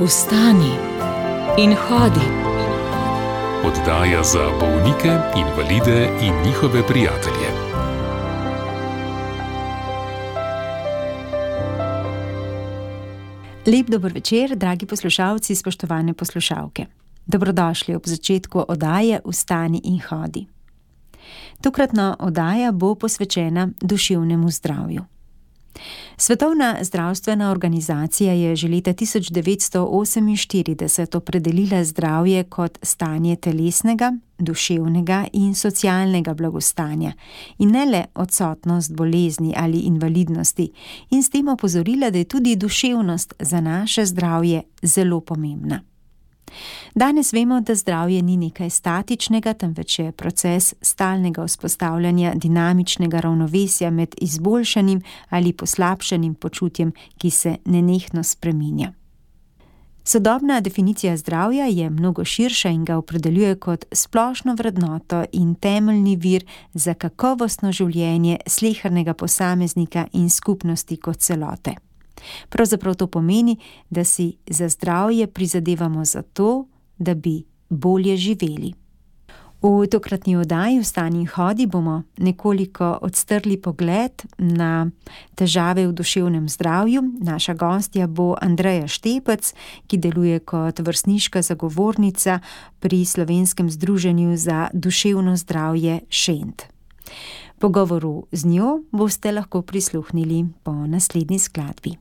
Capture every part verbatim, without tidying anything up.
Vstani in hodi. Oddaja za bolnike, invalide in njihove prijatelje. Lep dober večer, dragi poslušalci, spoštovane poslušalke. Dobrodošli ob začetku oddaje Vstani in hodi. Tokratna oddaja bo posvečena duševnemu zdravju. Svetovna zdravstvena organizacija je že leta tisoč devetsto oseminštirideset opredelila zdravje kot stanje telesnega, duševnega in socialnega blagostanja in ne le odsotnost bolezni ali invalidnosti, in s tem opozorila, da je tudi duševnost za naše zdravje zelo pomembna. Danes vemo, da zdravje ni nekaj statičnega, temveč je proces stalnega vzpostavljanja dinamičnega ravnovesja med izboljšanim ali poslabšanim počutjem, ki se nenehno spreminja. Sodobna definicija zdravja je mnogo širša in ga opredeljuje kot splošno vrednoto in temeljni vir za kakovostno življenje slehernega posameznika in skupnosti kot celote. Pravzaprav to pomeni, da si za zdravje prizadevamo za to, da bi bolje živeli. V tokratni oddaji Vstani in hodi bomo nekoliko odstrli pogled na težave v duševnem zdravju. Naša gostja bo Andreja Štepec, ki deluje kot vrstniška zagovornica pri Slovenskem združenju za duševno zdravje Šent. Pogovoru z njo boste lahko prisluhnili po naslednji skladbi.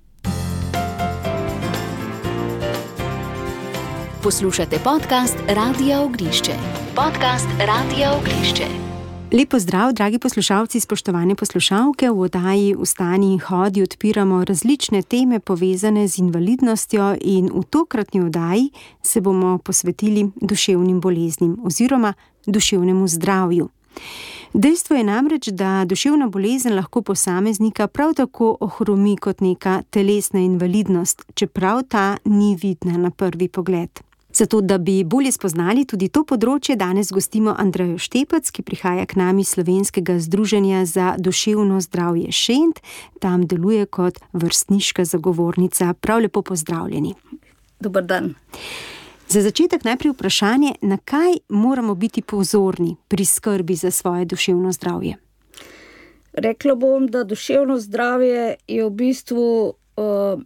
Poslušate podcast Radia Ognišče. Podcast Radia Ognišče. Lep pozdrav, dragi poslušalci, spoštovane poslušalke. V oddaji Vstani in hodi odpiramo različne teme povezane z invalidnostjo in v tokratni oddaji se bomo posvetili duševnim boleznim oziroma duševnemu zdravju. Dejstvo je namreč, da duševna bolezen lahko posameznika prav tako ohromi kot neka telesna invalidnost, čeprav ta ni vidna na prvi pogled. Zato, da bi bolje spoznali tudi to področje, danes gostimo Andrejo Štepec, ki prihaja k nam iz Slovenskega združenja za duševno zdravje Šent. Tam deluje kot vrstniška zagovornica. Prav lepo pozdravljeni. Dober dan. Za začetek najprej vprašanje, na kaj moramo biti pozorni pri skrbi za svoje duševno zdravje? Rekla bom, da duševno zdravje je v bistvu uh,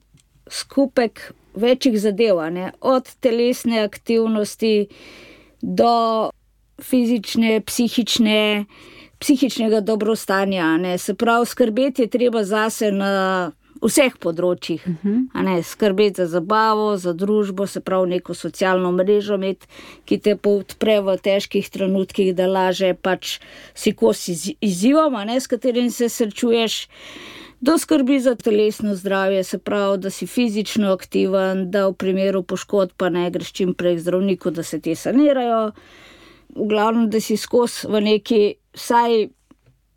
skupek večjih zadev, ne? Od telesne aktivnosti do fizične, psihične, psihičnega dobrostanja. Ne? Se pravi, skrbeti je treba zase na vseh področjih. Uh-huh. A ne? Skrbeti za zabavo, za družbo, se pravi neko socialno mrežo imeti, ki te podpre v težkih trenutkih, da laže pač si kos izzivom, a ne, s katerim se srečuješ. Do skrbi za telesno zdravje, se pravi, da si fizično aktiven, da v primeru poškodb pa ne greš čim prej k zdravniku, da se te sanirajo. V glavnem, da si skos v neki vsaj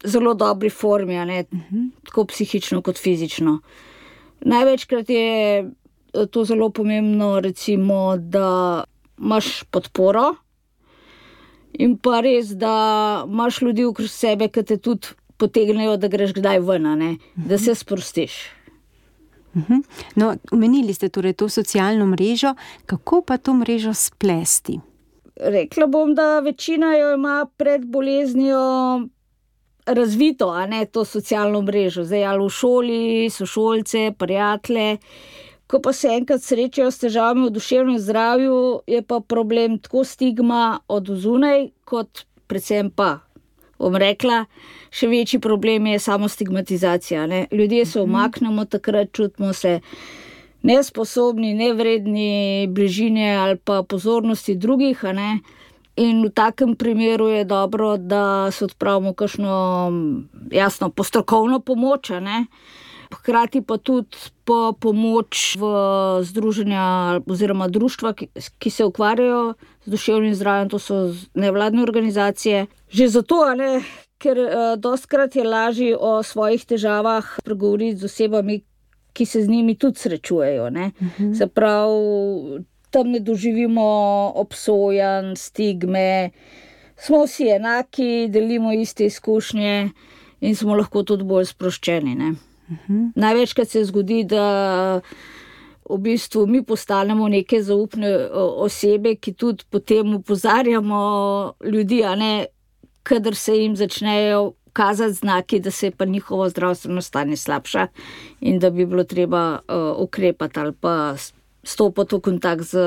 zelo dobri formi, a ne, uh-huh. tako psihično kot fizično. Največkrat je to zelo pomembno, recimo, da imaš podporo in pa res, da imaš ljudi okrog sebe, ki te tudi potegnejo, da greš kdaj ven, ne? Da se sprostiš. Uh-huh. No, omenili ste torej to socialno mrežo, kako pa to mrežo splesti? Rekla bom, da večina jo ima pred boleznijo razvito, a ne, to socialno mrežo. Zdaj ali v šoli, sošolce, prijatelje. Ko pa se enkrat srečajo s težavami v duševnem zdravju, je pa problem tako stigma od zunaj, kot predvsem pa, bom rekla, še večji problem je samo stigmatizacija. Ne? Ljudje se umaknemo, takrat čutimo se nesposobni, nevredni bližine ali pa pozornosti drugih. A ne? In v takem primeru je dobro, da se odpravimo kakšno, jasno, postrokovno pomoč. A ne? Hkrati pa tudi po pomoč v združenja oziroma društva, ki, ki se ukvarjajo z duševnim zdravjem, to so nevladne organizacije. Že zato, ne, ker uh, dostikrat je lažje o svojih težavah pregovoriti z osebami, ki se z njimi tudi srečujejo. Ne. Uh-huh. Se pravi, tam ne doživimo obsojanj, stigme, smo vsi enaki, delimo iste izkušnje in smo lahko tudi bolj sproščeni. Ne. Uh-huh. Največkrat se zgodi, da v bistvu mi postanemo neke zaupne osebe, ki tudi potem opozarjamo ljudi, a ne, kadar se jim začnejo kazati znaki, da se je pa njihovo zdravstveno stanje slabša in da bi bilo treba uh, ukrepati ali pa stopiti v kontakt z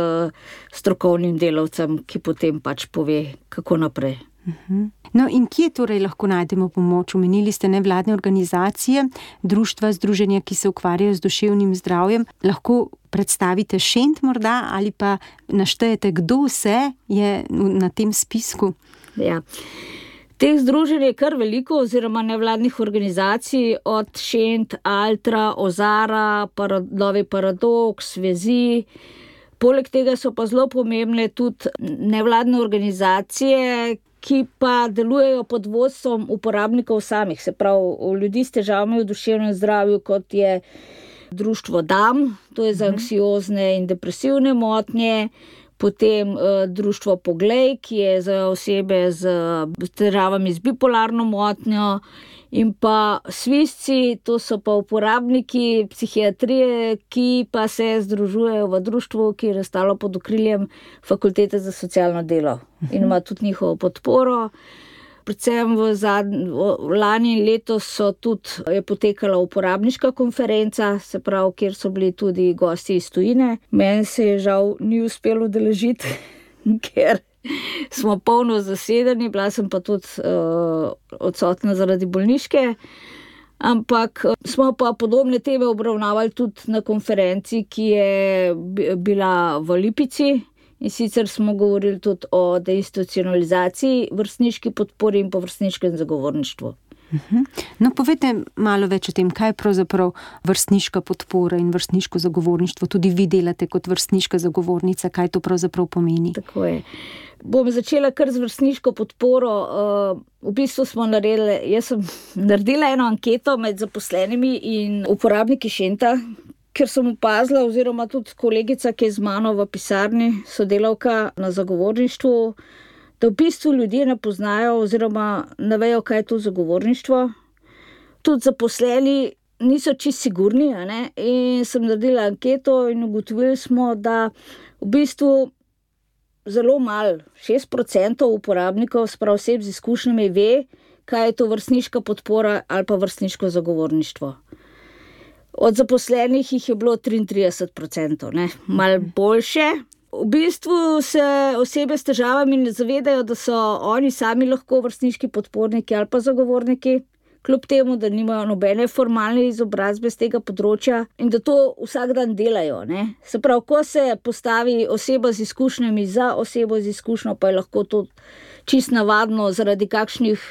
strokovnim delavcem, ki potem pač pove, kako naprej. Uh-huh. No in kje torej lahko najdemo pomoč? Omenili ste nevladne organizacije, društva, združenja, ki se ukvarjajo z duševnim zdravjem. Lahko predstavite šent morda ali pa naštejete, kdo vse je na tem spisku? Ja. Teh združenj je kar veliko, oziroma nevladnih organizacij, od Šent, Altra, Ozara, Parad- Novi Paradoks, Vezi. Poleg tega so pa zelo pomembne tudi nevladne organizacije, ki pa delujejo pod vodstvom uporabnikov samih, se pravi ljudi s težavami v duševnem zdravju, kot je društvo D A M, to je za anksiozne in depresivne motnje, potem uh, društvo Poglej, ki je za osebe z težavami z bipolarno motnjo, in pa Svisci, to so pa uporabniki psihiatrije, ki pa se združujejo v društvu, ki je nastalo pod okriljem Fakultete za socialno delo in ima tudi njihovo podporo. Predvsem v, zadnj, v lani in letos so tudi, je potekala uporabniška konferenca, se pravi, kjer so bili tudi gosti iz tujine. Meni se je žal ni uspelo udeležiti, ker smo polno zasedeni, bila sem pa tudi uh, odsotna zaradi bolniške, ampak smo pa podobne teme obravnavali tudi na konferenci, ki je bila v Lipici. In sicer smo govorili tudi o deinstitucionalizaciji, vrstniški podpori in pa vrstniškem zagovorništvu. No, povejte malo več o tem, kaj je pravzaprav vrstniška podpora in vrstniško zagovorništvo. Tudi vi delate kot vrstniška zagovornica, kaj to pravzaprav pomeni? Tako je. Bom začela kar z vrstniško podporo. V bistvu smo naredili, jaz sem naredila eno anketo med zaposlenimi in uporabniki Šenta, ker sem opazila, oziroma tudi kolegica, ki je z mano v pisarni, sodelavka na zagovorništvu, da v bistvu ljudje ne poznajo oziroma ne vejo, kaj je to zagovorništvo. Tudi zaposleni niso čisto sigurni, a ne? In sem naredila anketo in ugotovili smo, da v bistvu zelo malo, šest procentov uporabnikov, sprav oseb z izkušnjami, ve, kaj je to vrstniška podpora ali pa vrstniško zagovorništvo. Od zaposlenih jih je bilo triintrideset procentov, ne, malo boljše. V bistvu se osebe s težavami ne zavedajo, da so oni sami lahko vrstniški podporniki ali pa zagovorniki, kljub temu, da nimajo nobene formalne izobrazbe z tega področja in da to vsak dan delajo, ne. Se pravi, ko se postavi oseba z izkušnjami za osebo z izkušnjo, pa je lahko to čist navadno zaradi kakšnih,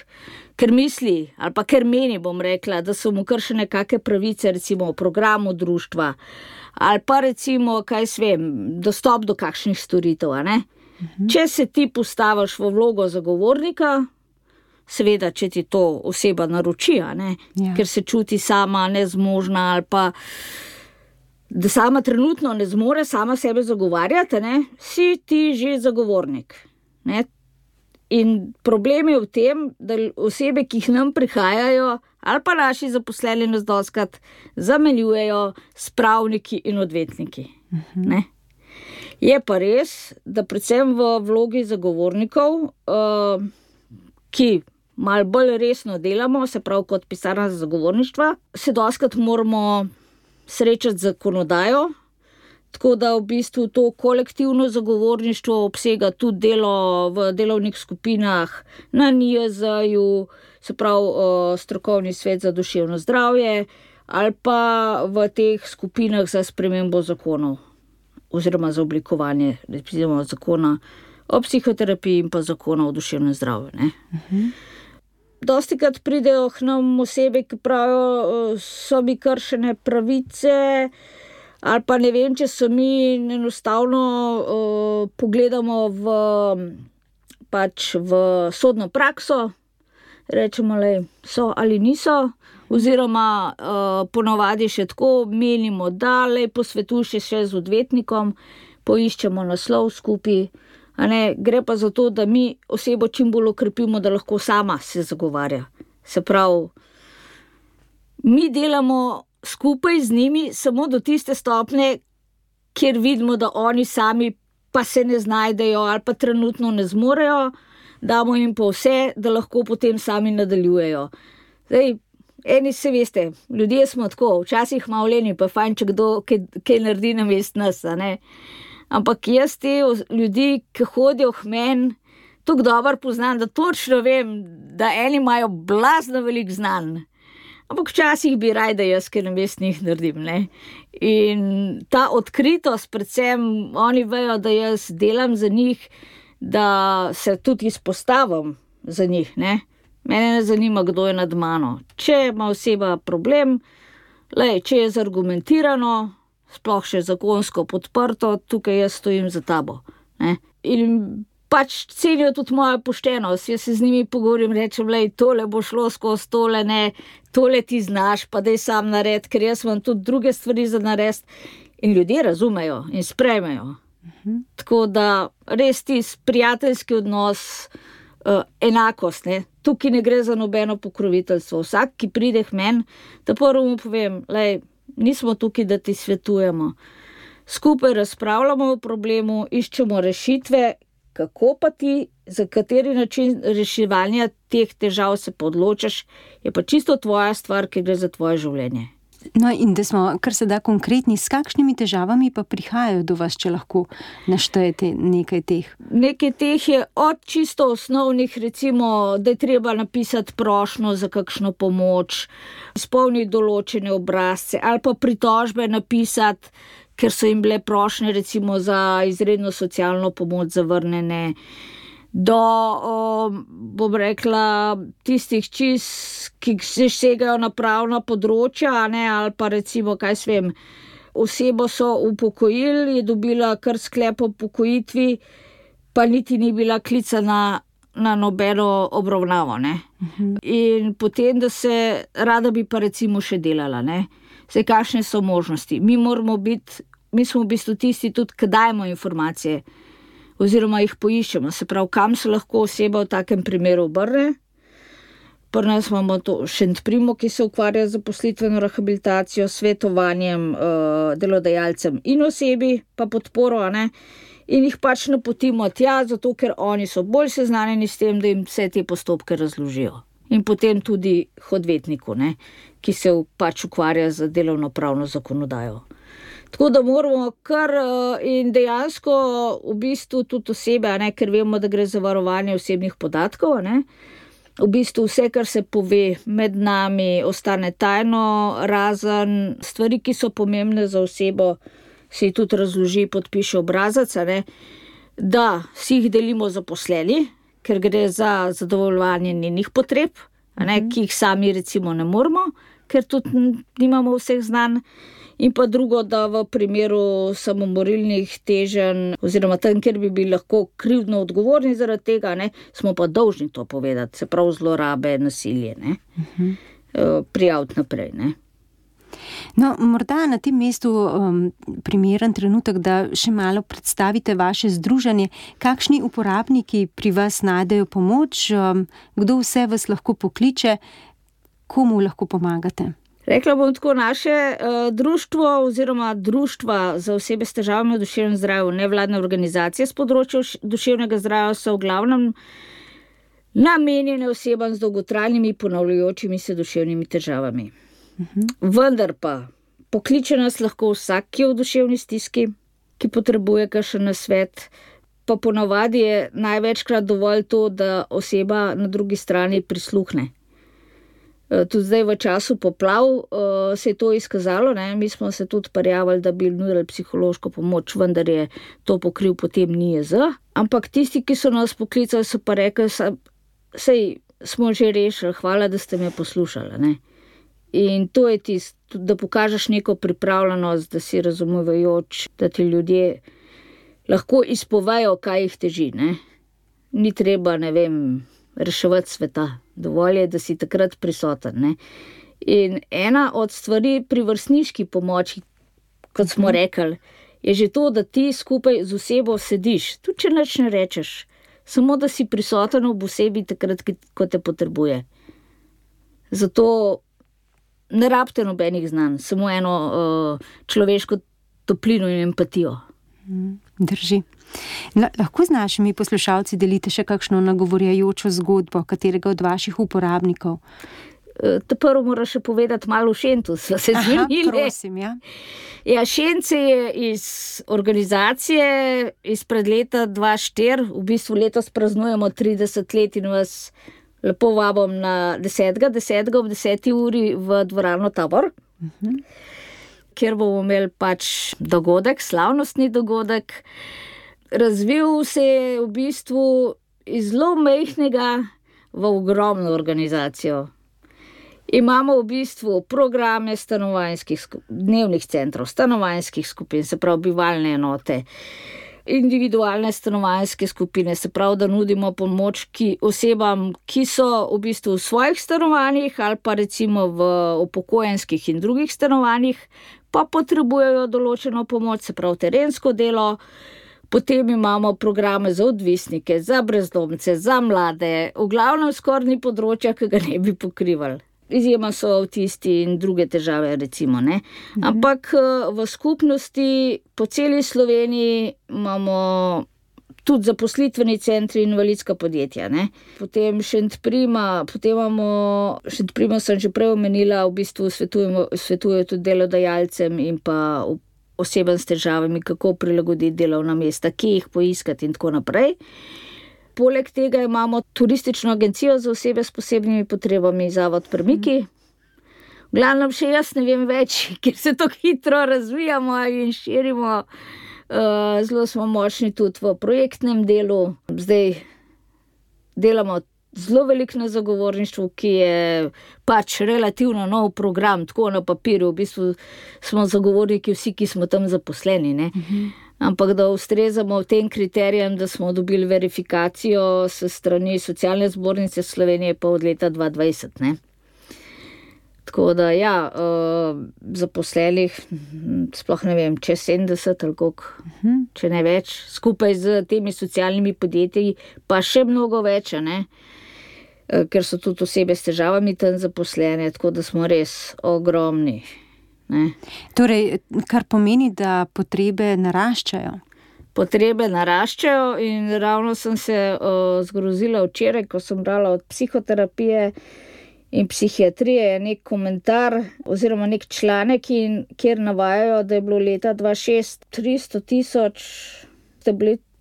ker misli, ali pa ker meni, bom rekla, da so mu kršene kakšne pravice, recimo v programu društva, ali pa recimo, kaj svem, dostop do kakšnih storitev, a ne. Mhm. Če se ti postaviš v vlogo zagovornika, seveda, če ti to oseba naroči, a ne, ja. Ker se čuti sama nezmožna ali pa da sama trenutno ne zmore sama sebe zagovarjati, ne, si ti že zagovornik, ne. In problem je v tem, da osebe, ki jih nam prihajajo, ali pa naši zaposleni nas dostikrat zamenjujejo s pravniki in odvetniki. Uh-huh. Ne? Je pa res, da predvsem v vlogi zagovornikov, uh, ki malo bolj resno delamo, se pravi kot pisarna za zagovorništva, se dostikrat moramo srečati z zakonodajo. Tako da v bistvu to kolektivno zagovorništvo obsega tudi delo v delovnih skupinah na N I J Z-ju, se pravi strokovni svet za duševno zdravje, ali pa v teh skupinah za spremembo zakonov oziroma za oblikovanje recimo zakona o psihoterapiji in pa zakona o duševnem zdravju. Ne? Uh-huh. Dostikrat pridejo k nam osebe, ki pravijo, so mi kršene pravice, ali pa ne vem, če so mi enostavno uh, pogledamo v, pač v sodno prakso, rečemo, lej, so ali niso, oziroma uh, ponavadi še tako menimo, da lej, posvetuj še z odvetnikom, poiščemo naslov skupaj, a ne, gre pa za to, da mi osebo čim bolj okrepimo, da lahko sama se zagovarja. Se pravi, mi delamo skupaj z njimi samo do tiste stopnje, kjer vidimo, da oni sami pa se ne znajdejo ali pa trenutno ne zmorejo, damo jim pa vse, da lahko potem sami nadaljujejo. Zdaj, eni se veste, ljudje smo tako, včasih malo leni, pa fajn, če kdo kaj, kaj naredi namesto nas, a ne. Ampak jaz te ljudi, ki hodijo k meni, tako dobro poznam, da točno vem, da eni imajo blazno veliko znanj. Ampak včasih bi raje, da jaz kaj namesto njih naredim, ne. In ta odkritost, predvsem oni vejo, da jaz delam za njih, da se tudi izpostavim za njih, ne. Mene ne zanima, kdo je nad mano. Če ima oseba problem, lej, če je zargumentirano, sploh še zakonsko podprto, tukaj jaz stojim za tabo, ne. In pač cenijo tudi mojo poštenost. Jaz se z njimi pogovorim, rečem, lej, tole bo šlo skozi, tole ne, tole ti znaš, pa daj sam nared, ker jaz imam tudi druge stvari za narediti. In ljudje razumejo in sprejmejo. Uh-huh. Tako da res tisti prijateljski odnos, uh, enakost, ne. Tukaj ne gre za nobeno pokroviteljstvo. Vsak, ki pride k meni, da prvo mu povem, lej, nismo tukaj, da ti svetujemo. Skupaj razpravljamo o problemu, iščemo rešitve, kako pa ti, za kateri način reševanja teh težav se pa odločiš, je pa čisto tvoja stvar, ki gre za tvoje življenje. No in da smo kar se da konkretni, s kakšnimi težavami pa prihajajo do vas, če lahko naštejete nekaj teh? Nekaj teh je od čisto osnovnih, recimo, da je treba napisati prošnjo za kakšno pomoč, izpolniti določene obrazce ali pa pritožbe napisati, ker so jim bile prošnje recimo za izredno socialno pomoč zavrnjene, do, o, bom rekla, tistih čist, ki se segajo na pravna področja, ne, ali pa recimo, kaj svem, osebo so upokojili, je dobila kar sklep o upokojitvi, pa niti ni bila klicana na nobeno obravnavo, ne. Uh-huh. In potem, da se rada bi pa recimo še delala, ne. Zdaj, kakšne so možnosti? Mi moramo biti, mi smo v bistvu tisti tudi, ki dajemo informacije oziroma jih poiščemo, se pravi, kam se lahko oseba v takem primeru obrne. Pri nas imamo to Šentprimo, ki se ukvarja z zaposlitveno rehabilitacijo, svetovanjem uh, delodajalcem in osebi, pa podporo, ne. In jih pač napotimo tja, zato ker oni so bolj seznanjeni s tem, da jim vse te postopke razložijo. In potem tudi k odvetniku, ne, ki se pač ukvarja z delovnopravno zakonodajo. Tako da moramo kar in dejansko v bistvu tudi osebe, ne, ker vemo, da gre za varovanje osebnih podatkov, ne, v bistvu vse, kar se pove med nami, ostane tajno, razen stvari, ki so pomembne za osebo, se ji tudi razloži, podpiše obrazac, ne, da si jih delimo zaposleni, ker gre za zadovoljevanje njenih potreb, ne, ki jih sami recimo ne moremo, ker tudi nimamo vseh znanj. In pa drugo, da v primeru samomorilnih teženj oziroma tam, kjer bi bili lahko krivdno odgovorni zaradi tega, ne, smo pa dolžni to povedati, se pravi zlorabe, nasilje, ne, uh-huh. prijaviti naprej, ne. No, morda na tem mestu um, primeren trenutek, da še malo predstavite vaše združenje. Kakšni uporabniki pri vas najdejo pomoč, um, kdo vse vas lahko pokliče, komu lahko pomagate? Rekla bom tako, naše uh, društvo oziroma društva za osebe s težavami v duševnem zdravju, nevladne organizacije s področja duševnega zdravja so v glavnem namenjene osebam z dolgotrajnimi ponavljajočimi se duševnimi težavami. Uh-huh. Vendar pa pokliče nas lahko vsak, ki je v duševni stiski, ki potrebuje kakšen nasvet, pa ponavadi je največkrat dovolj to, da oseba na drugi strani prisluhne. Tudi zdaj v času poplav uh, se je to izkazalo, ne? Mi smo se tudi prijavili, da bi nudili psihološko pomoč, vendar je to pokril potem N I E Z. Ampak tisti, ki so nas poklicali, so pa rekli, sej smo že rešili, hvala, da ste me poslušali, ne? In to je tisto, da pokažeš neko pripravljenost, da si razumevajoč, da ti ljudje lahko izpovejo, kaj jih teži, ne? Ni treba, ne vem, reševati sveta. Dovolj je, da si takrat prisoten, ne. In ena od stvari pri vrstniški pomoči, kot smo rekli, je že to, da ti skupaj z osebo sediš, tudi če nič ne rečeš, samo da si prisoten ob osebi takrat, ko te potrebuje. Zato ne rabite nobenih znanj, samo eno uh, človeško toplino in empatijo. Drži. Lahko z našimi poslušalci delite še kakšno nagovorjajočo zgodbo katerega od vaših uporabnikov? Ta prvo moram še povedati malo o Šentu, sva se zmenili. Aha, prosim, ja. Ja, Šent se je iz organizacije izpred leta dva tisoč štiri, v bistvu letos praznujemo trideset let in vas lepo vabim na desetega desetega ob deseti uri v dvorano Tabor, uh-huh. kjer bomo imeli pač dogodek, slavnostni dogodek. Razvil se je v bistvu iz zelo majhnega v ogromno organizacijo. Imamo v bistvu programe stanovanjskih dnevnih centrov, stanovanjskih skupin, se pravi bivalne enote, individualne stanovanjske skupine, se pravi, da nudimo pomoč ki, osebam, ki so v bistvu v svojih stanovanjih ali pa recimo v upokojenskih in drugih stanovanjih, pa potrebujejo določeno pomoč, se pravi terensko delo. Potem imamo programe za odvisnike, za brezdomce, za mlade, v glavnem skoraj ni področja, ki ga ne bi pokrivali. Izjema so avtisti in druge težave, recimo, ne. Ampak v skupnosti po celi Sloveniji imamo tudi zaposlitveni centri in invalidska podjetja, ne. Potem Šentprima, potem imamo, Šentprima sem že prej omenila, v bistvu svetujemo, svetujejo tudi delodajalcem in pa osebam s težavami, kako prilagoditi delovna mesta, kje jih poiskati in tako naprej. Poleg tega imamo turistično agencijo za osebe s posebnimi potrebami, Zavod Premiki. V glavnem še jaz ne vem več, ker se tako hitro razvijamo in širimo. Zelo smo močni tudi v projektnem delu. Zdaj delamo zelo veliko na zagovorništvu, ki je pač relativno nov program, tako na papirju. V bistvu smo zagovorniki vsi, ki smo tam zaposleni, ne. Uh-huh. Ampak da ustrezamo tem kriterijem, da smo dobili verifikacijo s strani Socialne zbornice Slovenije pa od leta dva tisoč dvajset, ne. Tako da ja, zaposlenih, sploh ne vem, čez sedemdeset ali koliko, uh-huh. če ne več, skupaj z temi socialnimi podjetji, pa še mnogo več, ne. Ker so tudi osebe s težavami tam zaposlene, tako da smo res ogromni. Ne. Torej, kar pomeni, da potrebe naraščajo. Potrebe naraščajo in ravno sem se uh, zgrozila včeraj, ko sem brala od psihoterapije in psihiatrije nek komentar oziroma nek članek, in, kjer navajajo, da je bilo leta dva tisoč šest tristo tisoč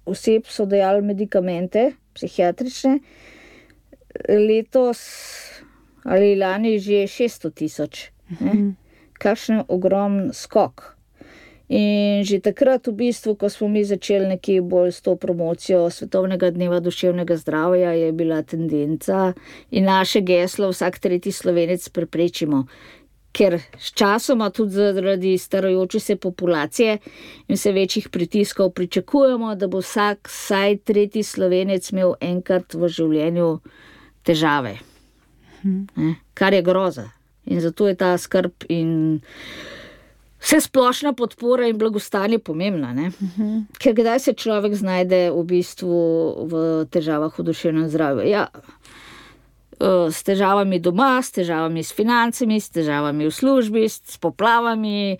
oseb so dajali medikamente psihiatrične, letos ali lani že šeststo tisoč. Uh-huh. Kakšen ogromen skok. In že takrat v bistvu, ko smo mi začeli nekje bolj s to promocijo Svetovnega dneva duševnega zdravja, je bila tendenca in naše geslo vsak tretji Slovenec preprečimo. Ker s časoma tudi zaradi starajoče se populacije in vse večjih pritiskov pričakujemo, da bo vsak vsaj tretji Slovenec imel enkrat v življenju težave. Hmm. Kar je groza. In zato je ta skrb in vse splošna podpora in blagostanje pomembna, ne? Uh-huh. Ker kdaj se človek znajde v bistvu v težavah v duševnem zdravju? Ja, s težavami doma, s težavami s financami, s težavami v službi, s poplavami.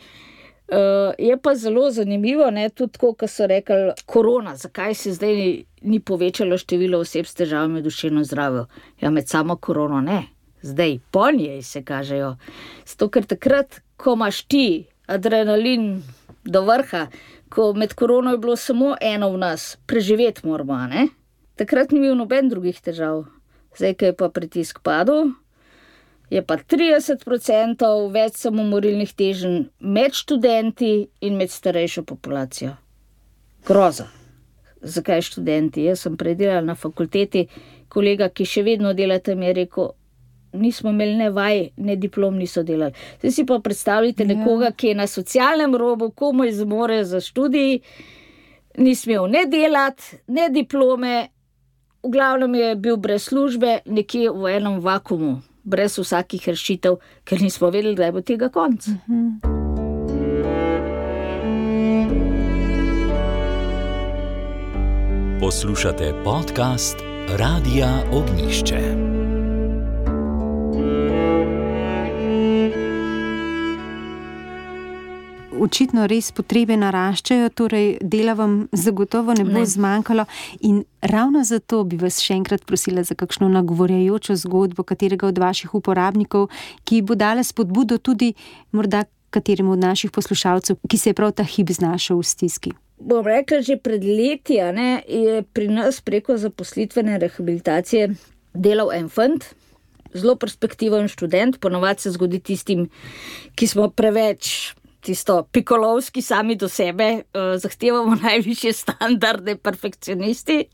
Je pa zelo zanimivo, ne, tudi tako, ko so rekli korona, zakaj se zdaj ni, ni povečalo število oseb s težavami v duševnem zdravju? Ja, med samo korono ne. Zdaj, po njej se kažejo. Zato, ker takrat, ko imaš ti adrenalin do vrha, ko med korono je bilo samo eno v nas, preživeti moramo, ne? Takrat ni bil noben drugih težav. Zdaj, ko je pa pritisk padel, je pa trideset procentov več samomorilnih teženj med študenti in med starejšo populacijo. Groza. Zakaj študenti? Jaz sem predelala na fakulteti, kolega, ki še vedno dela tam, je rekel, nismo imeli ne vaj, ne diplom niso delali. Zdaj si pa predstavljate nekoga, ki je na socialnem robu, komaj zmore za študij, ni smel ne delati, ne diplome, v glavnem je bil brez službe, nekje v enem vakumu, brez vsakih rešitev, ker nismo vedeli, da bo tega konc. Uh-huh. Poslušate podcast Radia Ognjišče. očitno res potrebe naraščajo, torej dela vam zagotovo ne bo ne. zmanjkalo in ravno zato bi vas še enkrat prosila za kakšno nagovorjajočo zgodbo katerega od vaših uporabnikov, ki bo dala spodbudo tudi morda kateremu od naših poslušalcev, ki se je prav ta hip znašel v stiski. Bom rekla, že pred leti a ne, je pri nas preko zaposlitvene rehabilitacije delal en fant, zelo perspektiven študent, ponovadi se zgodi tistim, ki smo preveč tisto pikolovski sami do sebe, eh, zahtevamo najvišje standarde, perfekcionisti,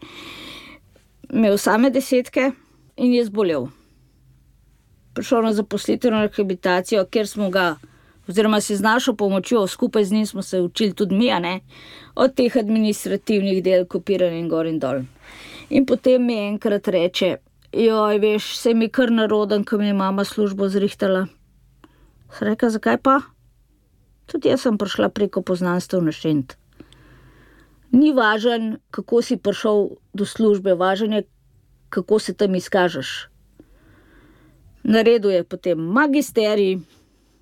imel same desetke in je zbolel. Prišel na zaposlitveno rehabilitacijo, kjer smo ga oziroma se z našo pomočjo, skupaj z njim smo se učili tudi mi, a ne, od teh administrativnih del, kopiranja in gor in dol. In potem mi enkrat reče, joj, veš, se mi kar naroden, ko mi je mama službo zrihtala. Sem rekla, zakaj pa? Tudi jaz sem prišla preko poznanstev na Šent. Ni važen, kako si prišel do službe, važen je, kako se tam izkažeš. Naredil je potem magisterij,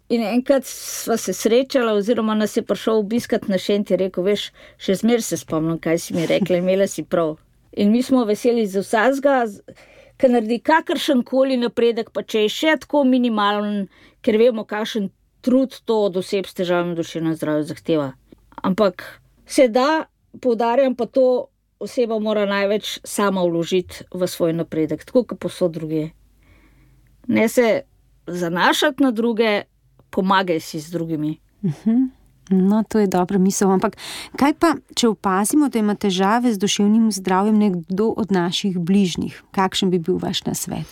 in enkrat sva se srečala, oziroma nas je prišel obiskat na Šent, je rekel, veš, še zmer se spomnim, kaj si mi rekla, imela si prav. In mi smo veseli za vsazga, ker naredi kakršen koli napredek, pa če je še tako minimalen, ker vemo, kakšen trud to od oseb s težavami v duševnem zdravju zahteva. Ampak se da, poudarjam pa to, oseba mora največ sama vložiti v svoj napredek, tako kot povsod druge. Ne se zanašati na druge, pomagaj si z drugimi. Uh-huh. No, to je dobra misel. Ampak kaj pa, če opazimo, da ima težave z duševnim zdravjem nekdo od naših bližnjih? Kakšen bi bil vaš nasvet?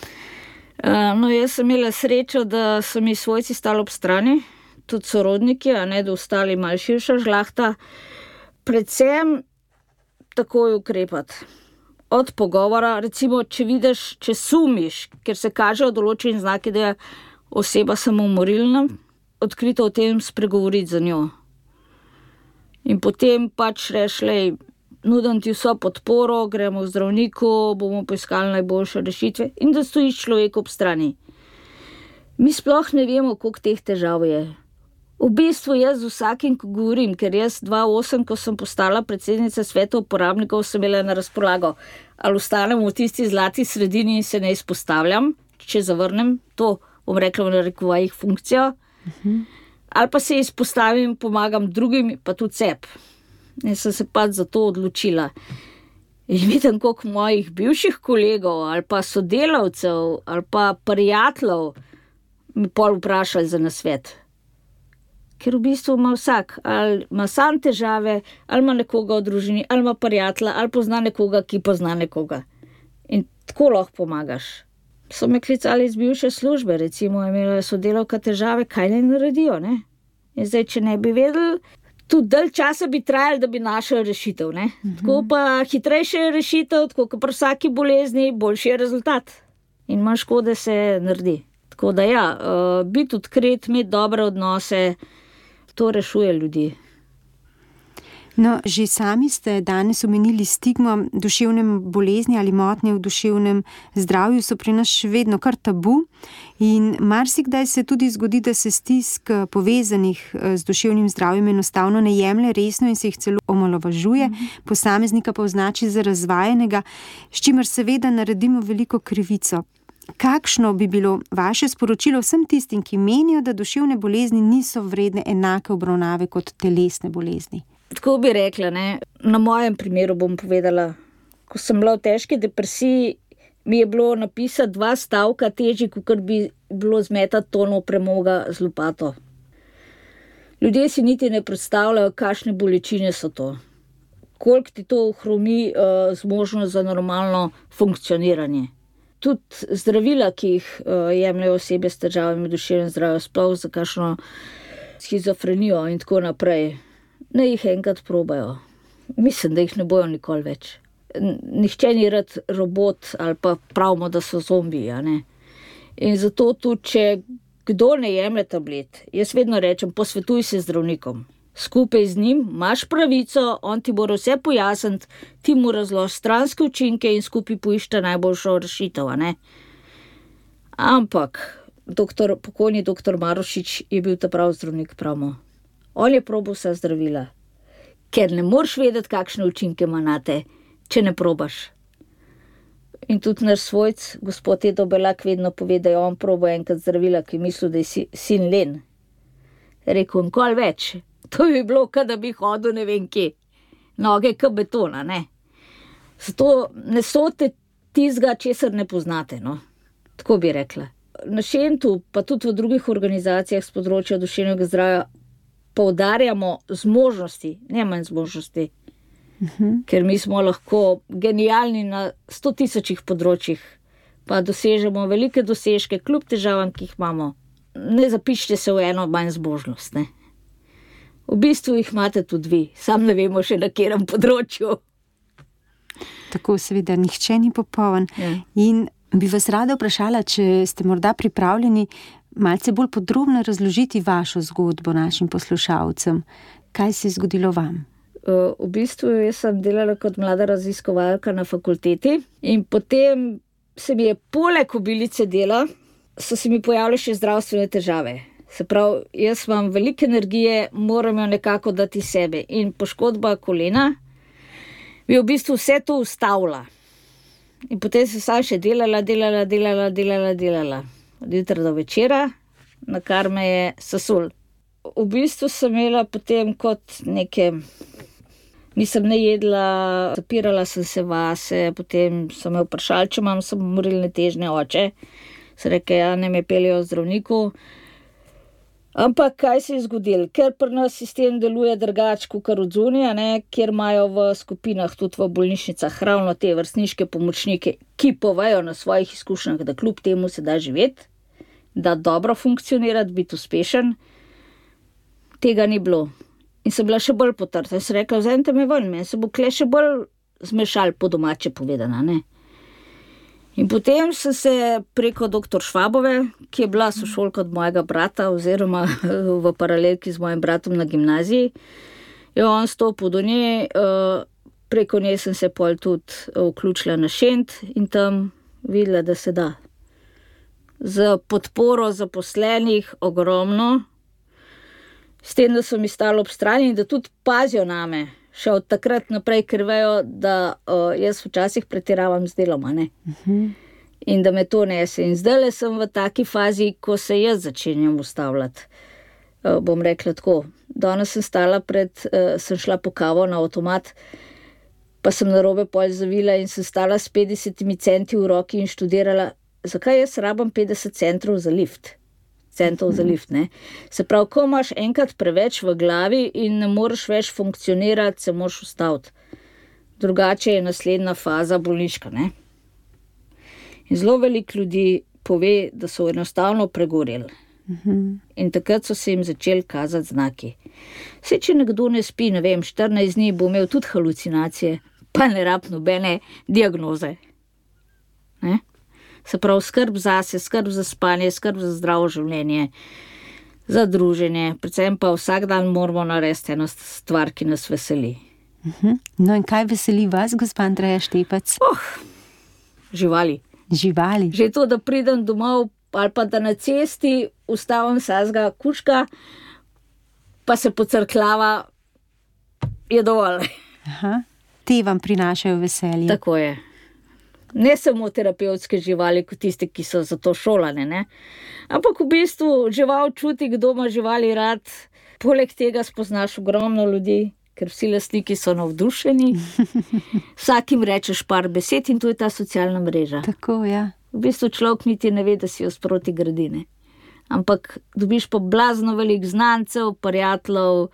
Uh, no, jaz sem imela srečo, da so mi svojci stali ob strani, tudi sorodniki, a ne da ostali malo širša žlahta. Predvsem takoj ukrepati. Od pogovora, recimo, če vidiš, če sumiš, ker se kažejo določeni znaki, da je oseba samomorilna, odkrito o tem spregovoriti za njo. In potem pač reš, lej, nudim ti vso podporo, gremo v zdravniku, bomo poiskali najboljše rešitve in da stojiš človeku ob strani. Mi sploh ne vemo, koliko teh težav je. V bistvu jaz z vsakim, ko govorim, ker jaz dva tisoč osem, ko sem postala predsednica sveta uporabnikov, sem imela na razpolago, ali ostanem v tisti zlati sredini in se ne izpostavljam, če zavrnem to, bom rekla v narekovajih funkcijo, uh-huh. ali pa se izpostavim, pomagam drugim, pa tudi sebi. Jaz sem se pač za to odločila. In vidim, koliko mojih bivših kolegov, ali pa sodelavcev, ali pa prijateljev mi pol vprašali za nasvet. Ker v bistvu ima vsak, ali ima sam težave, ali ima nekoga v družini, ali ima prijatelja, ali pozna nekoga, ki pozna nekoga. In tako lahko pomagaš. So me klicali iz bivše službe, recimo imela sodelavka težave, kaj naj naredijo, ne? In zdaj, če ne bi vedeli, tudi dalj časa bi trajali, da bi našel rešitev, ne? Mhm. Tako pa hitrejše je rešitev, tako kot pri vsaki bolezni, boljši je rezultat. In manj škode se naredi. Tako da ja, uh, biti odkrit, imeti dobre odnose, to rešuje ljudi. No, že sami ste danes omenili stigmo, duševne bolezni ali motnje v duševnem zdravju so pri nas še vedno kar tabu in marsikdaj se tudi zgodi, da se stisk povezanih z duševnim zdravjem enostavno ne jemlje resno in se jih celo omalovažuje, mm-hmm. posameznika pa označi za razvajenega, s čimer seveda naredimo veliko krivico. Kakšno bi bilo vaše sporočilo vsem tistim, ki menijo, da duševne bolezni niso vredne enake obravnave kot telesne bolezni? Tako bi rekla, ne? Na mojem primeru bom povedala. Ko sem bila v težki depresiji, mi je bilo napisati dva stavka težji, kot bi bilo zmetati tono premoga z lopato. Ljudje si niti ne predstavljajo, kakšne bolečine so to. Koliko ti to ohromi uh, zmožnost za normalno funkcioniranje. Tudi zdravila, ki jih uh, jemljajo osebe s težavami v duševnem zdravju, sploh za kakšno schizofrenijo in tako naprej, ne jih enkrat probajo. Mislim, da jih ne bojo nikoli več. Nihče ni rad robot ali pa pravimo, da so zombiji, a ne. In zato tudi, če kdo ne jemlje tablet, jaz vedno rečem, posvetuj se z zdravnikom. Skupaj z njim imaš pravico, on ti bo vse pojasniti, ti mu razloži stranske učinke in skupaj poiščete najboljšo rešitev, a ne. Ampak doktor, pokojni doktor Marošič je bil ta prav zdravnik, pravimo. On je probal vsa zdravila, ker ne moreš vedeti, kakšne učinke ima nate, če ne probaš. In tudi naš svojc, gospod Edo Belak, vedno pove, da je on probal enkrat zdravila, ki je mislil, da je si, sin len. Rekel, nikoli več. To bi bilo, kad da bi hodil ne vem kje. Noge k betona, ne. Zato ne sote tizga, česar ne poznate, no. Tako bi rekla. Na Šentu, pa tudi v drugih organizacijah z področja duševnega zdravja poudarjamo zmožnosti, ne manj zmožnosti. Uhum. Ker mi smo lahko genialni na sto tisočih področjih, pa dosežemo velike dosežke, kljub težavam, ki jih imamo. Ne zapišite se v eno manj zmožnost, ne. V bistvu jih imate tudi vi, sam ne vemo še na katerem področju. Tako seveda, nihče ni popoln. Ja. In bi vas rada vprašala, če ste morda pripravljeni malce bolj podrobno razložiti vašo zgodbo našim poslušalcem. Kaj se je zgodilo vam? V bistvu jaz sem delala kot mlada raziskovalka na fakulteti in potem se mi je poleg obilice dela, so se mi pojavile še zdravstvene težave. Se pravi, jaz imam veliko energije, moram jo nekako dati sebe in poškodba kolena bi v bistvu vse to ustavila. In potem sem sam še delala, delala, delala, delala, delala. Od jutra do večera, na kar me je sesul. V bistvu sem imela potem kot neke... Nisem ne jedla, zapirala sem se vase, potem sem me vprašala, če imam samomorilne težnje oče. Se reke, ja, ne me peljejo zdravniku. Ampak kaj se je zgodilo? Ker pri nas sistem deluje drugače kot od zunaj, ne, kjer imajo v skupinah, tudi v bolnišnicah, ravno te vrstniške pomočnike, ki povejo na svojih izkušnjah, da kljub temu se da živeti, da dobro funkcionirati, biti uspešen. Tega ni bilo. In sem bila še bolj potrta. In sem rekla, vzemite me ven, me se bo kle še bolj zmešal, po domače povedana, ne. In potem sem se preko doktor Švabove, ki je bila sošolka od mojega brata, oziroma v paralelki z mojim bratom na gimnaziji, je on stopil do nje, preko nje sem se pol tudi vključila na Šent in tam videla, da se da. Z podporo zaposlenih ogromno, s tem, da so mi stali ob strani in da tudi pazijo name, še od takrat naprej, ker vejo, da uh, jaz včasih pretiravam z delom, ne? Uh-huh. In da me to nese. In zdajle sem v taki fazi, ko se jaz začenjam ustavljati. Uh, bom rekla tako, danes sem stala pred, uh, sem šla po kavo na avtomat, pa sem narobe pol zavila in sem stala s petdesetimi centi v roki in študirala, zakaj jaz rabam petdeset centrov za lift. Centov za lift, ne. Se pravi, ko imaš enkrat preveč v glavi in ne moreš več funkcionirati, se moraš ustaviti. Drugače je naslednja faza bolniška, ne. In zelo veliko ljudi pove, da so enostavno pregoreli. Uh-huh. In takrat so se jim začeli kazati znaki. Saj, če nekdo ne spi, ne vem, štirinajst dni bo imel tudi halucinacije, pa ne rab nobene diagnoze. Ne? Se pravi, skrb zase, skrb za spanje, skrb za zdravo življenje, za druženje, predvsem pa vsak dan moramo narediti eno stvar, ki nas veseli. Uh-huh. No in kaj veseli vas, gospa Andreja Štepec? Oh, živali. Živali. Že to, da pridem domov ali pa da na cesti ustavim sazga kučka, pa se pocrklava, je dovolj. Aha. Te vam prinašajo veselje. Tako je. Ne samo terapevtske živali, kot tiste, ki so za to šolane, ne. Ampak v bistvu žival čuti, kdo ima živali rad. Poleg tega spoznaš ogromno ljudi, ker vsi lastniki so navdušeni. Vsakim rečeš par besed in to je ta socialna mreža. Tako, ja. V bistvu človek niti ne ve, da si jo sproti gradi, ne. Ampak dobiš pa blazno velik znancev, prijateljev,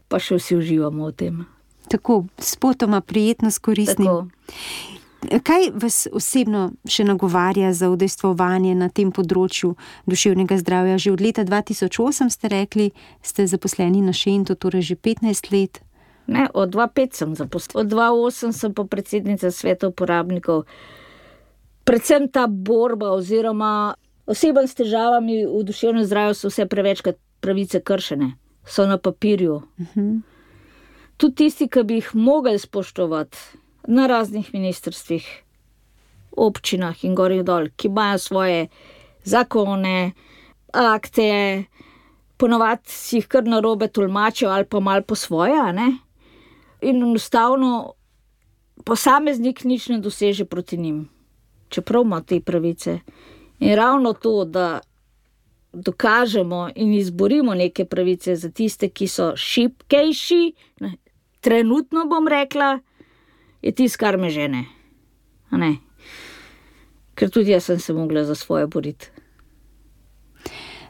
pa še vsi uživamo v tem. Tako, spotoma prijetno s koristnim. Tako. Kaj vas osebno še nagovarja za udejstvovanje na tem področju duševnega zdravja? Že od leta dva tisoč osem ste rekli, ste zaposleni na Šentu, torej že petnajst let. Ne, od dva tisoč pet sem zaposlena. Od dva tisoč osem sem pa predsednica sveta uporabnikov. Predvsem ta borba oziroma osebam s težavami v duševnem zdravju so vse prevečkrat pravice kršene. So na papirju. Uh-huh. Tudi tisti, ki bi jih mogli spoštovati na raznih ministrstvih, občinah in gor in dol, ki imajo svoje zakone, akte, ponovadi si jih kar narobe tolmačijo ali pa malo po svoje, a ne? In enostavno posameznik nič ne doseže proti njim, čeprav ima te pravice. In ravno to, da dokažemo in izborimo neke pravice za tiste, ki so šibkejši, trenutno bom rekla, je tisto, kar me žene. A ne? Ker tudi jaz sem se mogla za svoje boriti.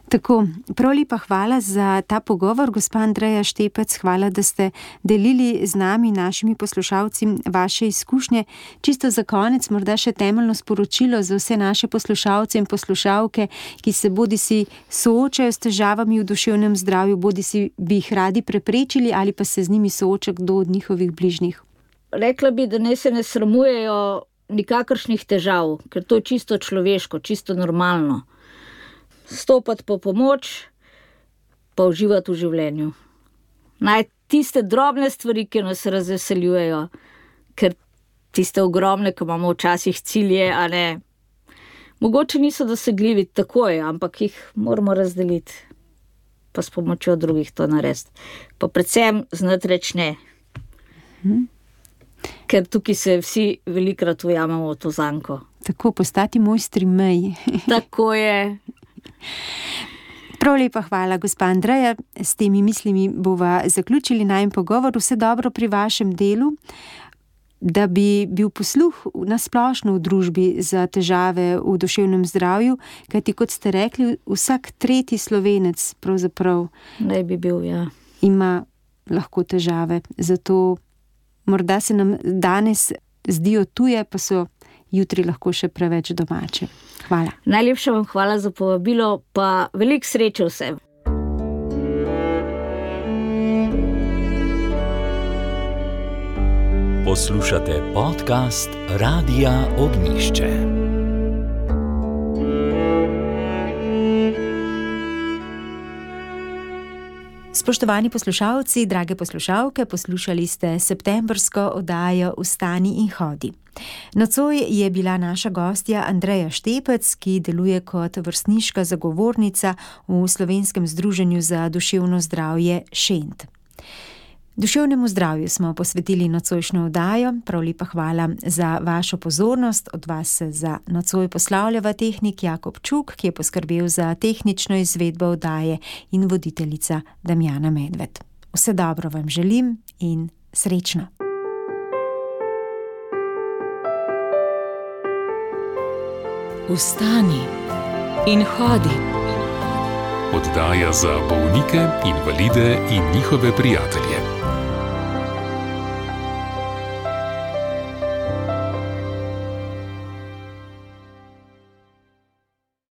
Tako, prav lepa hvala za ta pogovor, gospa Andreja Štepec, hvala, da ste delili z nami, našimi poslušalci, vaše izkušnje. Čisto za konec, morda še temeljno sporočilo za vse naše poslušalce in poslušalke, ki se bodisi soočajo s težavami v duševnem zdravju, bodisi bi jih radi preprečili ali pa se z njimi sooča kdo od njihovih bližnjih. Rekla bi, da ne se ne sramujejo nikakršnih težav, ker to je čisto človeško, čisto normalno. Stopati po pomoč, pa uživati v življenju. Naj tiste drobne stvari, ki nas razveseljujejo, ker tiste ogromne, ko imamo včasih cilje, a ne, mogoče niso dosegljivi takoj, ampak jih moramo razdeliti, pa s pomočjo drugih to narediti. Pa predvsem znati reči ne. Hmm. Ker tukaj se vsi velikrat ujamemo v to zanko. Tako, postati mojstri mej. Tako je. Prav lepa hvala, gospa Andreja. S temi mislimi bova zaključili najin pogovor. Vse dobro pri vašem delu, da bi bil posluh nasplošno v družbi za težave v duševnem zdravju, kajti kot ste rekli, vsak tretji Slovenec pravzaprav ne bi bil, ja. Ima lahko težave. Zato morda se nam danes zdijo tuje, pa so jutri lahko še preveč domače. Hvala. Najlepša vam hvala za povabilo, pa veliko sreče vsem. Poslušate podcast Radia Ognjišče. Spoštovani poslušalci, drage poslušalke, poslušali ste septembrsko oddajo Vstani in hodi. Nocoj je bila naša gostja Andreja Štepec, ki deluje kot vrstniška zagovornica v Slovenskem združenju za duševno zdravje Šent. Duševnemu zdravju smo posvetili nocojšnjo oddajo, prav lepa hvala za vašo pozornost, od vas se za nocoj poslavljava tehnik Jakob Čuk, ki je poskrbel za tehnično izvedbo oddaje, in voditeljica Damjana Medved. Vse dobro vam želim in srečno. Vstani in hodi. Oddaja za bolnike, invalide in njihove prijatelje.